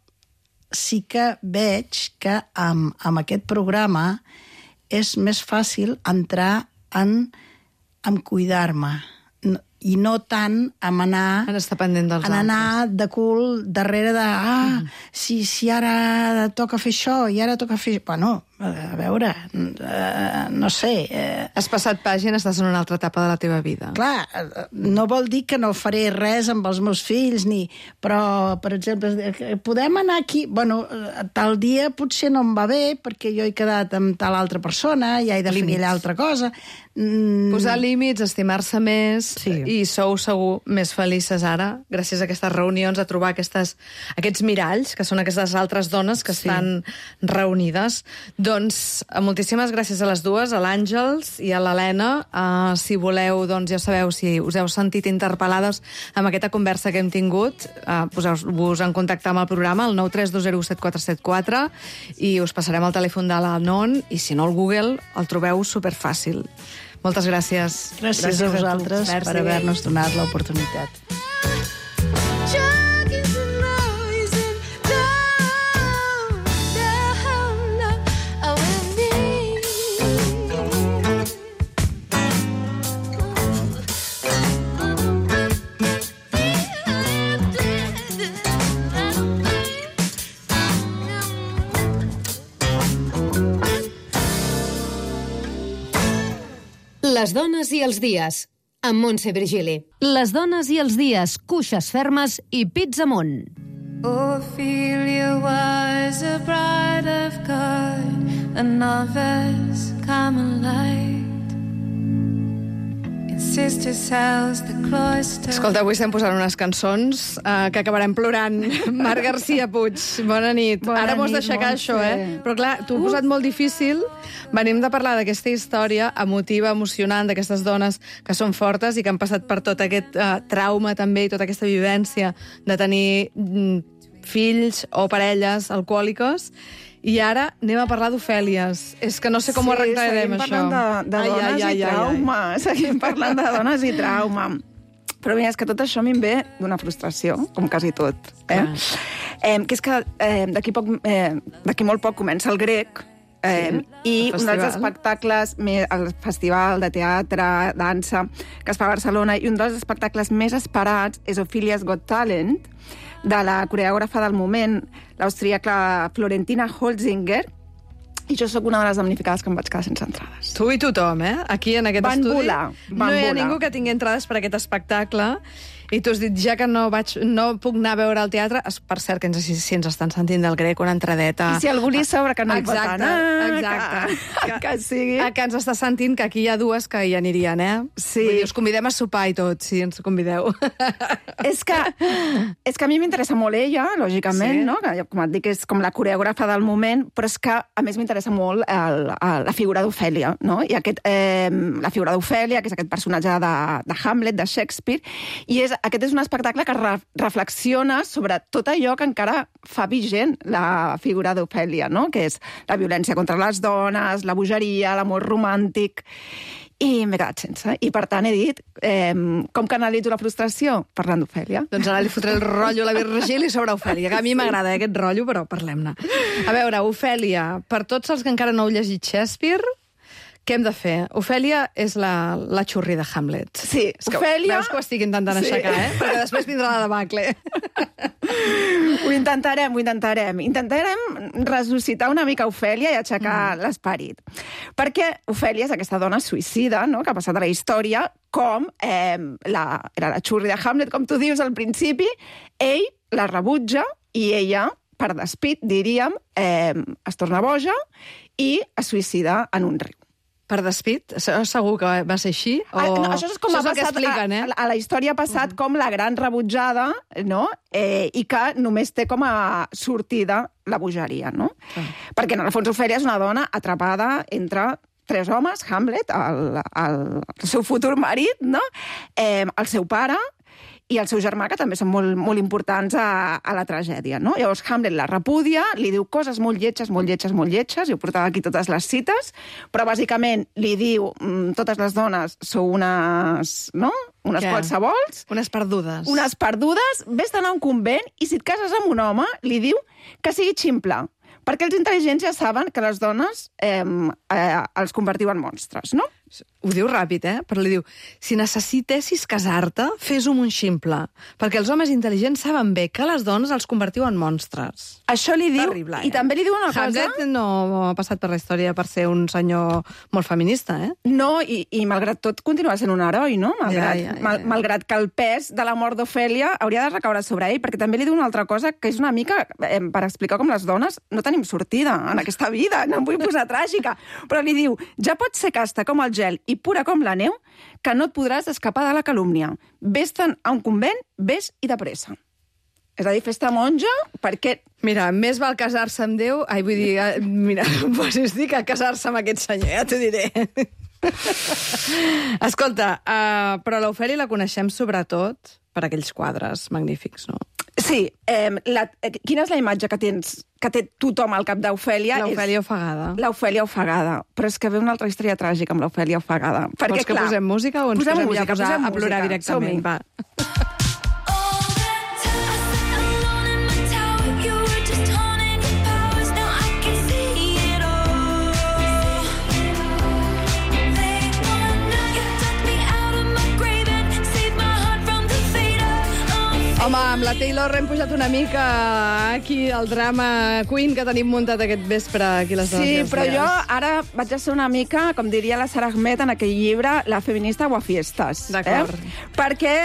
sí que veig que amb, amb aquest programa és més fàcil entrar en, en cuidar-me, i no tant en anar, en estar pendent dels en anar altres. de cul darrere de ah, mm. si, si ara toca fer això i ara toca fer... Bueno, a veure, eh, no sé... Eh... Has passat pàgina, estàs en una altra etapa de la teva vida. Clar, no vol dir que no faré res amb els meus fills, ni... però, per exemple, podem anar aquí... Bueno, tal dia potser no em va bé perquè jo he quedat amb tal altra persona, ja he de límits. Fer aquella altra cosa... Mm. Posar límits, estimar-se més, sí. I sou segur més felices ara, gràcies a aquestes reunions, a trobar aquestes, aquests miralls, que són aquestes altres dones que sí. Estan reunides. Doncs moltíssimes gràcies a les dues, a l'Àngels i a l'Helena. Uh, si voleu, doncs ja sabeu, si us heu sentit interpel·lades amb aquesta conversa que hem tingut, uh, poseu-vos en contacte amb el programa, el nou tres dos zero set quatre set quatre, i us passarem el telèfon de la N O N, i si no, al Google el trobeu superfàcil. Moltes gràcies. Gràcies, gràcies a vosaltres a per haver-nos donat l'oportunitat. Les dones i els dies, amb Montse Virgili. Les dones i els dies, cuixes fermes i pits amunt. Ophelia was a bride of God, a novice Carmelite. In sister's house, the cloister... Escolta, avui estem posant unes cançons uh, que acabarem plorant. Marc García Puig, bona nit. Bona Ara m'ho has nit, d'aixecar, Montse. això, eh? Però clar, t'ho he posat molt difícil. Venim de parlar d'aquesta història emotiva, emocionant, d'aquestes dones que són fortes i que han passat per tot aquest uh, trauma també i tota aquesta vivència de tenir mm, fills o parelles alcohòliques. I ara anem a parlar d'Ofèlies. És que no sé com sí, ho arreglarem, això. Sí, seguim parlant de, de ai, dones ai, ai, i trauma. Ai, ai. Seguim parlant de dones i trauma. Però mira, és que tot això a mi em ve d'una frustració, com quasi tot. Eh? Eh, que és que eh, d'aquí eh, d'aquí molt poc comença el grec, Eh, sí, i un dels espectacles, el festival de teatre, dansa, que es fa a Barcelona, i un dels espectacles més esperats és Ophelia's Got Talent, de la coreògrafa del moment, l'austríaca Florentina Holzinger, I jo sóc una de les damnificades que em vaig quedar sense entrades. Tu i tothom, eh? Aquí, en aquest van estudi, volar, van no hi ha volar. ningú que tingui entrades per aquest espectacle. I tu has dit, ja que no, vaig, no puc anar a veure el teatre, per cert, que ens, si, si ens estan sentint del grec, una entradeta... I si algú li sobra que no hi pot anar... Exacte, que, que, que sigui... Que ens està sentint que aquí hi ha dues que hi anirien, eh? Sí. Vull dir, us convidem a sopar i tot, si ens convideu. És que, és que a mi m'interessa molt ella, lògicament, Sí. no? Que, com et dic, és com la coreògrafa del moment, però és que, a més, m'interessa molt el, el, la figura d'Ofèlia, no? I aquest, eh, la figura d'Ofèlia, que és aquest personatge de, de Hamlet, de Shakespeare, i és, aquest és un espectacle que re, reflexiona sobre tot allò que encara fa vigent la figura d'Ofèlia, no? Que és la violència contra les dones, la bogeria, l'amor romàntic... I m'he quedat sense. I, per tant, he dit, eh, com canalitzo la frustració? Parlant d'Ofèlia. Doncs ara li fotré el rotllo a la Virgili sobre Ofèlia, que a mi m'agrada eh, aquest rotllo, però parlem-ne. A veure, Ofèlia, per tots els que encara no heu llegit Shakespeare, què hem de fer? Ofèlia és la, la xurri de Hamlet. Sí, és que Ofèlia... Veus que ho estic intentant Sí. aixecar, eh? Perquè després vindrà la debacle. Ho intentarem, ho intentarem. Intentarem ressuscitar una mica Ofèlia i aixecar mm. l'esperit. Perquè Ofèlia és aquesta dona suïcida, no?, que ha passat a la història com eh, la, era la xurri de Hamlet, com tu dius al principi, ell la rebutja i ella, per despit, diríem, eh, es torna boja i es suïcida en un riu. Per despit? Segur que va ser així? O... Ah, no, això és com això ha és el que passat expliquen, eh? a, a la història ha passat uh-huh. com la gran rebutjada, no? Eh, i que només té com a sortida la bogeria, no? Uh-huh. Perquè, en el fons, Ofèlia és una dona atrapada entre tres homes, Hamlet, el, el, el seu futur marit, no? Eh, el seu pare i el seu germà, que també són molt, molt importants a, a la tragèdia, no? Llavors Hamlet la repudia, li diu coses molt lletges, molt lletges, molt lletges, i ho portava aquí totes les cites, però bàsicament li diu mm, totes les dones sou unes, no? Unes Què? qualsevols. Unes perdudes. Unes perdudes, vés d'anar a un convent, i si et cases amb un home, li diu que sigui ximple, perquè els intel·ligents ja saben que les dones eh, eh, els convertiu en monstres, no? Ho diu ràpid, eh? Però li diu, si necessitessis casar-te, fes-ho amb un ximple, perquè els homes intel·ligents saben bé que les dones els convertiu en monstres. Això li diu, Terrible, i eh? també li diu una cosa... Hamlet no ha passat per la història per ser un senyor molt feminista, eh? No, i, i malgrat tot continua sent un heroi, no? Malgrat, Ja, ja, ja. Mal, malgrat que el pes de la mort d'Ofèlia hauria de recaure sobre ell, perquè també li diu una altra cosa que és una mica eh, per explicar com les dones no tenim sortida en aquesta vida, no em vull posar tràgica, però li diu, ja pots ser casta com el gel i pura com la neu, que no et podràs escapar de la calúmnia. Vés-te'n a un convent, vés i de pressa. És a dir, fes-te monja perquè... Mira, més val casar-se amb Déu... Ai, vull dir, eh, mira, pues estic a casar-se amb aquest senyor, ja t'ho diré. Escolta, uh, però l'Ofèlia la coneixem sobretot per aquells quadres magnífics, no? Sí, eh, la, eh, quina és la imatge que tens, que té tothom al cap d'Ofèlia? L'Ofèlia ofegada. L'Ofèlia ofegada. Però és que ve una altra història tràgica amb l'Ofèlia ofegada. Perquè, Vols que clar, posem música o ens posem posem música, ja a, posar, posem a plorar música. directament? Va. Home, amb la Taylor hem pujat una mica aquí el drama Queen que tenim muntat aquest vespre aquí a les dones. Sí, i els però dies. jo ara vaig a ser una mica, com diria la Sara Ahmed en aquell llibre, la feminista guafiestas. D'acord. Eh? Perquè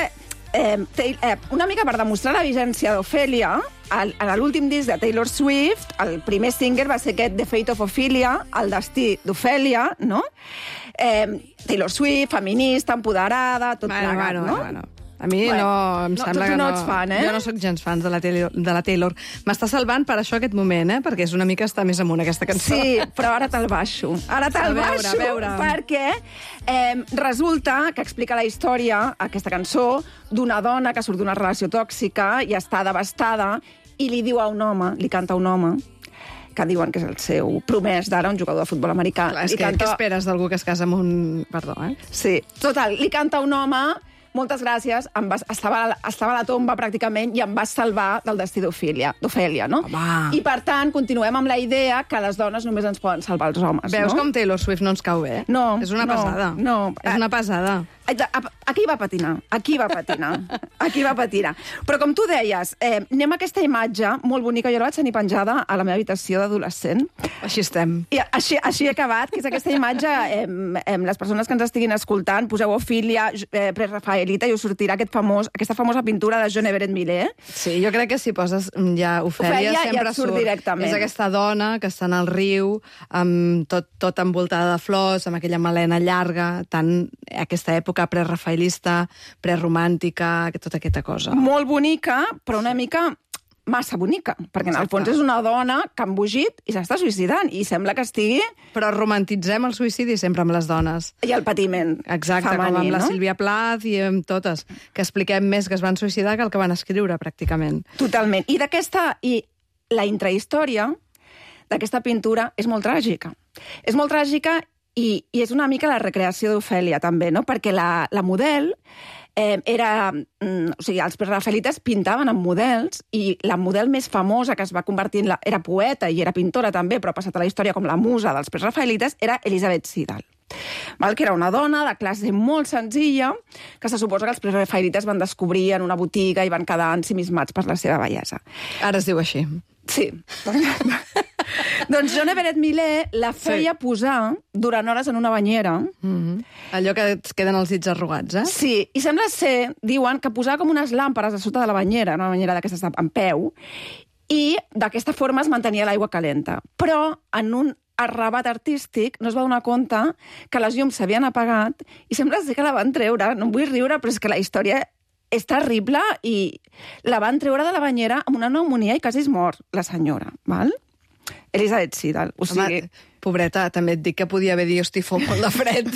eh, eh, una mica per demostrar la vigència d'Ofèlia, al- en l'últim disc de Taylor Swift, el primer single va ser aquest The Fate of Ophelia, el destí d'Ofèlia, no? Eh, Taylor Swift, feminista, empoderada, tot Bueno, plegat, bueno, no? bueno, bueno. A mi Bueno, no, em no, sembla tu que no no... ets fan, eh? Jo no sóc gens fan de la Taylor. De la Taylor. M'està salvant per això aquest moment, eh? Perquè és una mica estar més amunt, aquesta cançó. Sí, però ara te'l baixo. Ara A te'l veure, baixo, a veure. perquè eh, resulta que explica la història, aquesta cançó, d'una dona que surt d'una relació tòxica i està devastada i li diu a un home, li canta a un home, que diuen que és el seu promès d'ara, un jugador de futbol americà. Clar, és Li que, canta... què esperes d'algú que es casa amb un... Perdó, eh? Sí, total, li canta a un home, moltes gràcies, em vas, estava, estava a la tomba pràcticament i em vas salvar del destí d'Ofèlia, d'Ofèlia, no? Home. I per tant, continuem amb la idea que les dones només ens poden salvar els homes, Veus no? com Taylor Swift no ens cau bé? No, És una no, pesada. no. És una pesada. Aquí va patinar, aquí va patinar, aquí va patinar. Però com tu deies, eh, anem a aquesta imatge molt bonica, jo la vaig tenir penjada a la meva habitació d'adolescent. Així estem. I així, així he acabat, que és aquesta imatge, eh, eh, les persones que ens estiguin escoltant, poseu Ofília, eh, prerafaelita, i us sortirà aquest famós, aquesta famosa pintura de John Everett Millet. Sí, jo crec que si poses ja Ofèlia, Ofèlia sempre ja et surt directament. És aquesta dona que està en el riu, amb tot, tot envoltada de flors, amb aquella melena llarga, tan aquesta època prerafaelista, preromàntica, tota aquesta cosa. Molt bonica, però una mica massa bonica, perquè en el fons és una dona que ha embogit i s'està suïcidant, i sembla que estigui... Però romantitzem el suïcidi sempre amb les dones. I el patiment Exacte, femení, com amb la no? Sílvia Plath i amb totes, que expliquem més que es van suïcidar que el que van escriure, pràcticament. Totalment. I d'aquesta... I la intrahistòria d'aquesta pintura és molt tràgica. És molt tràgica i, i és una mica la recreació d'Ofèlia, també, no? Perquè la, la model... Eh, era, mm, o sigui, els prerafaelites pintaven amb models i la model més famosa que es va convertir en la, era poeta i era pintora també, però ha passat a la història com la musa dels prerafaelites, era Elisabeth Siddal. Val? Que era una dona de classe molt senzilla que se suposa que els prerafaelites van descobrir en una botiga i van quedar ensimismats per la seva bellesa. Ara es diu així. Sí. Doncs John Everett Millet la feia sí. posar durant hores en una banyera. Mm-hmm. Allò que es queden els dits arrugats, eh? Sí, i sembla ser, diuen, que posava com unes làmperes a sota de la banyera, una banyera d'aquestes en peu, i d'aquesta forma es mantenia l'aigua calenta. Però en un arrabat artístic no es va donar compte que les llums s'havien apagat i sembla ser que la van treure. No em vull riure, però és que la història és terrible i la van treure de la banyera amb una pneumonia i quasi es mor, la senyora, val? Elisabeth Siddal, o sigui... Home, pobreta, també et dic que podia haver dit, hosti, fot molt de fred,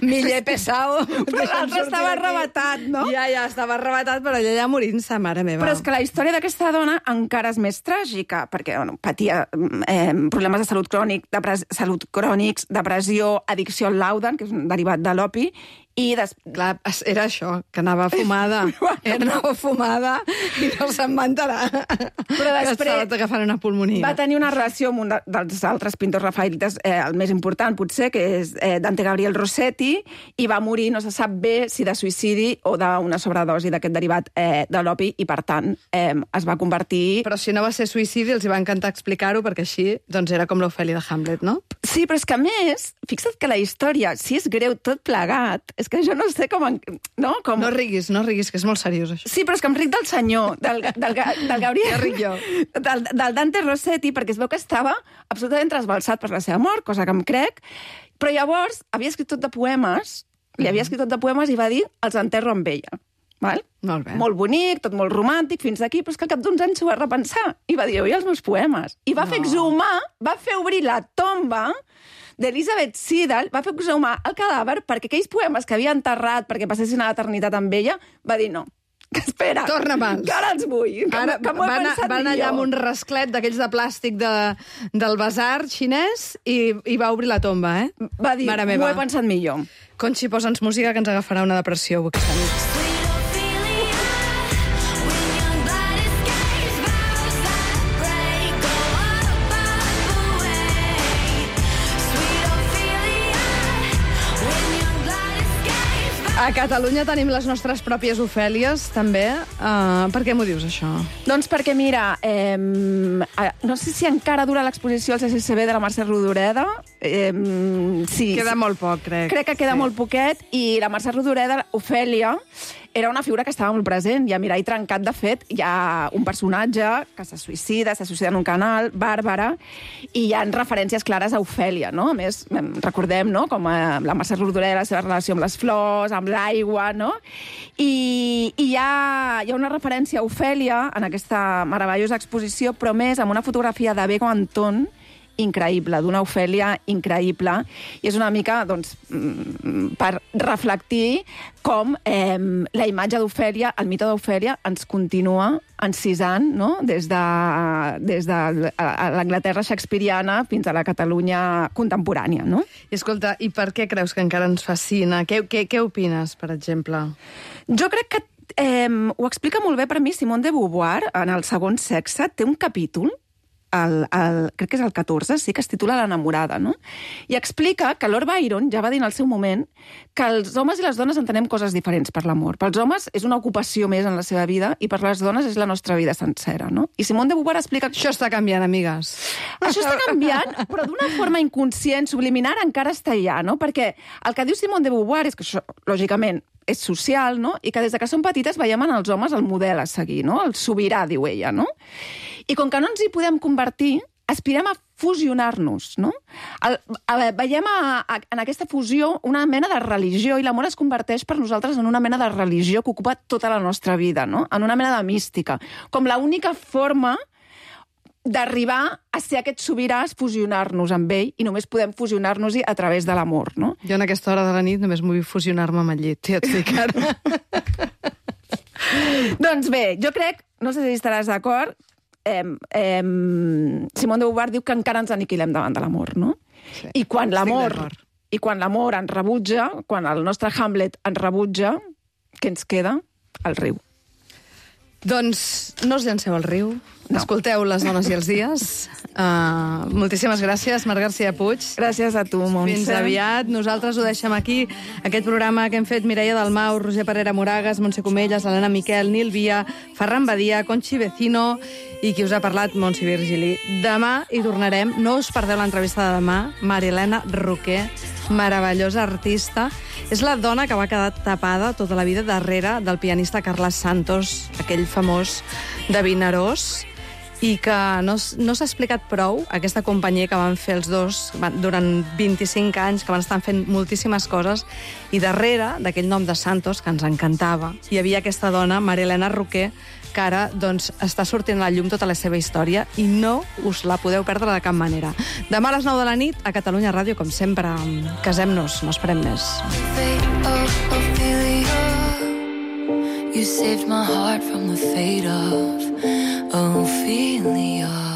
Millet pesado... Però l'altre estava arrebatat, no? Ja, ja, estava arrebatat, però ella ja morint-se, mare meva. Però és que la història d'aquesta dona encara és més tràgica, perquè bueno, patia eh, problemes de salut crònic, de salut crònics, depressió, addicció al laudan, que és un derivat de l'opi, i des... Clar, era això, que anava fumada. Era anava fumada i no se'n va enterar. Però després... Que estava agafant una pulmonia. Va tenir una relació amb un de, dels altres pintors rafaelites, eh, el més important, potser, que és eh, Dante Gabriel Rossetti, i va morir, no se sap bé, si de suïcidi o d'una sobredosi d'aquest derivat eh, de l'opi, i, per tant, eh, es va convertir... Però si no va ser suïcidi, els hi va encantar explicar-ho, perquè així doncs, era com l'Ofèlia de Hamlet, no? Sí, però és que, a més, fixa't que la història, si és greu tot plegat, és que jo no sé com... En... No, com... no riguis, no riguis, que és molt seriós, això. Sí, però és que em ric del senyor, del, del, del Gabriel... Ja ric jo. Del, del Dante Rossetti, perquè es veu que estava absolutament trasbalsat per la seva mort, cosa que em crec, però llavors havia escrit tot de poemes, li havia escrit tot de poemes i va dir els enterro amb ella. Val? Molt bé. Molt bonic, tot molt romàntic, fins aquí, però és que al cap d'uns anys s'ho va repensar i va dir, oi, els meus poemes. I va no. fer exhumar, va fer obrir la tomba d'Elisabeth Siddal, va fer exhumar el cadàver perquè aquells poemes que havia enterrat perquè passessin a l'eternitat amb ella, va dir no. Que espera, torna-me'ls. Que ara els vull. Que, ara, que m'ho he van, pensat van allà amb un rasclet d'aquells de plàstic de, del basar xinès i, i va obrir la tomba, eh? Va dir, m'ho he pensat millor. Conxi, posa'ns música que ens agafarà una depressió aquesta nit. A Catalunya tenim les nostres pròpies Ofèlies, també. Uh, per què m'ho dius, això? Doncs perquè, mira, eh, no sé si encara dura l'exposició al C C C B de la Mercè Rodoreda. Eh, sí, queda molt poc, crec. Crec que queda sí. molt poquet, i la Mercè Rodoreda, Ofèlia, era una figura que estava molt present, i a Mirall Trencat, de fet, hi ha un personatge que se suïcida, se suïcida en un canal, Bàrbara, i hi ha referències clares a Ofèlia, no? A més, recordem, no?, com la Mercè Rodoreda, la seva relació amb les flors, amb l'aigua, no? I, i hi, ha, hi ha una referència a Ofèlia en aquesta meravellosa exposició, però més amb una fotografia de Bego Anton, increïble, d'una Ofèlia increïble, i és una mica, doncs, per reflectir com eh, la imatge d'Ofèlia, el mite d'Ofèlia, ens continua encisant, no?, des de, des de l'Anglaterra shakespeariana fins a la Catalunya contemporània, no? I escolta, i per què creus que encara ens fascina? Què, què, què opines, per exemple? Jo crec que eh, ho explica molt bé per mi Simone de Beauvoir, en El segon sexe, té un capítol el, el, crec que és el catorze, sí, que es titula L'enamorada, no? I explica que Lord Byron ja va dir en el seu moment que els homes i les dones entenem coses diferents per l'amor. Pels homes és una ocupació més en la seva vida i per les dones és la nostra vida sencera, no? I Simone de Beauvoir explica... Això està canviant, amigues. Això està canviant, però d'una forma inconscient, subliminar, encara està allà, no? Perquè el que diu Simone de Beauvoir és que això, lògicament, és social, no? I que des de que som petites veiem en els homes el model a seguir, no? El sobirà, diu ella, no? I com que no ens hi podem convertir, aspirem a fusionar-nos, no? El, a, veiem a, a, en aquesta fusió una mena de religió, i l'amor es converteix per nosaltres en una mena de religió que ocupa tota la nostra vida, no? En una mena de mística. Com l'única forma d'arribar a ser aquest sobirà és fusionar-nos amb ell, i només podem fusionar-nos-hi a través de l'amor, no? Jo en aquesta hora de la nit només vull fusionar-me amb el llit, ja et dic ara. Doncs bé, jo crec, no sé si estaràs d'acord, eh, eh, Simone de Beauvoir diu que encara ens aniquilem davant de l'amor, no? Sí. I quan l'amor i quan l'amor ens rebutja, quan el nostre Hamlet ens rebutja, què ens queda? El riu. Doncs no us llanceu al riu, no. Escolteu Les dones i els dies. Uh, moltíssimes gràcies, Marc García Puig. Gràcies a tu, Montse. Fins aviat. Nosaltres ho deixem aquí, aquest programa que hem fet Mireia Dalmau, Roger Parera Moragas, Montse Comelles, Helena Miquel, Nil Via, Ferran Badia, Conchi Vecino i qui us ha parlat, Montse Virgili. Demà hi tornarem. No us perdeu l'entrevista de demà. Marilena Roquer, meravellosa artista. És la dona que va quedar tapada tota la vida darrere del pianista Carles Santos, aquell famós de Vinaròs, i que no, no s'ha explicat prou aquesta companyia que van fer els dos durant vint-i-cinc anys, que van estar fent moltíssimes coses, i darrere d'aquell nom de Santos, que ens encantava, hi havia aquesta dona, Marilena Roquer, que ara doncs, està sortint a la llum tota la seva història i no us la podeu perdre de cap manera. Demà a les nou de la nit, a Catalunya Ràdio, com sempre, casem-nos, no esperem més. You saved my heart from the fate of Ophelia.